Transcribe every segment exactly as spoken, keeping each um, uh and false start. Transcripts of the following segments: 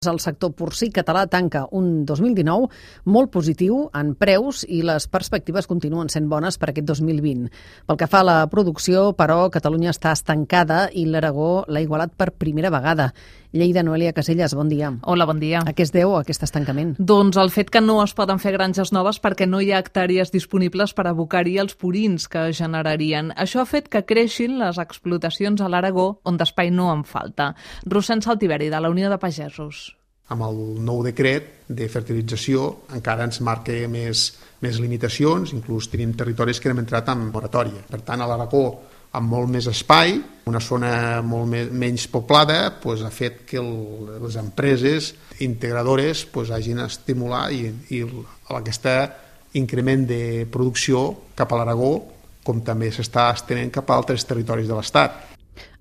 El sector porcí català tanca un dos mil dinou molt positiu en preus i les perspectives continuen sent bones per aquest dos mil vint. Pel que fa a la producció, però, Catalunya està estancada i l'Aragó l'ha igualat per primera vegada. Lleida, Noelia Caselles, bon dia. Hola, bon dia. A què es deu aquest estancament? Doncs el fet que no es poden fer granges noves perquè no hi ha hectàrees disponibles per abocar-hi els purins que generarien. Això ha fet que creixin les explotacions a l'Aragó, on d'espai no en falta. Rossend Saltiveri, de la Unió de Pagesos. Amb el nou decret de fertilització encara ens marca més, més limitacions, inclús tenim territoris que hem entrat en moratòria. Per tant, a l'Aragó, amb molt més espai, una zona molt més, menys poblada, doncs, ha fet que el, les empreses integradores doncs, hagin estimulat i, i aquest increment de producció cap a l'Aragó, com també s'està estenent cap a altres territoris de l'Estat.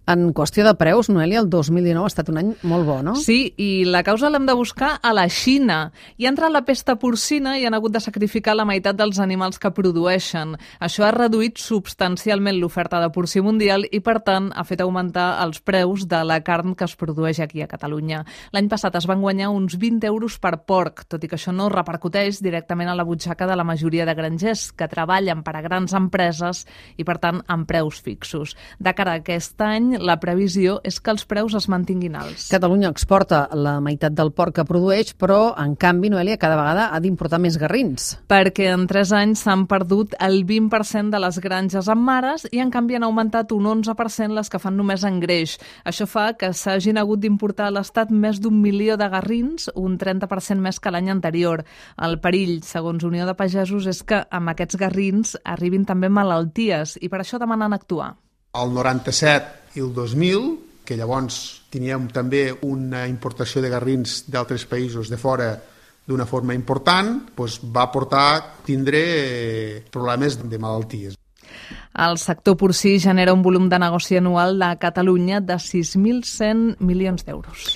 En qüestió de preus, Noelia, el dos mil dinou ha estat un any molt bo, no? Sí, i la causa l'hem de buscar a la Xina. Hi ha entrat la pesta porcina i han hagut de sacrificar la meitat dels animals que produeixen. Això ha reduït substancialment l'oferta de porcí mundial i, per tant, ha fet augmentar els preus de la carn que es produeix aquí a Catalunya. L'any passat es van guanyar uns vint euros per porc, tot i que això no repercuteix directament a la butxaca de la majoria de grangers que treballen per a grans empreses i, per tant, amb preus fixos. De cara a aquest any, la previsió és que els preus es mantinguin alts. Catalunya exporta la meitat del porc que produeix, però, en canvi, Noelia, cada vegada ha d'importar més garrins. Perquè en tres anys s'han perdut el vint per cent de les granges amb mares i, en canvi, han augmentat un onze per cent les que fan només engreix. Això fa que s'hagin hagut d'importar a l'Estat més d'un milió de garrins, un trenta per cent més que l'any anterior. El perill, segons Unió de Pagesos, és que amb aquests garrins arribin també malalties i per això demanen actuar. El noranta-set i el dos mil, que llavors teníem també una importació de garrins d'altres països de fora d'una forma important, doncs va portar a tindre problemes de malalties. El sector porcí genera un volum de negoci anual de Catalunya de sis mil cent milions d'euros.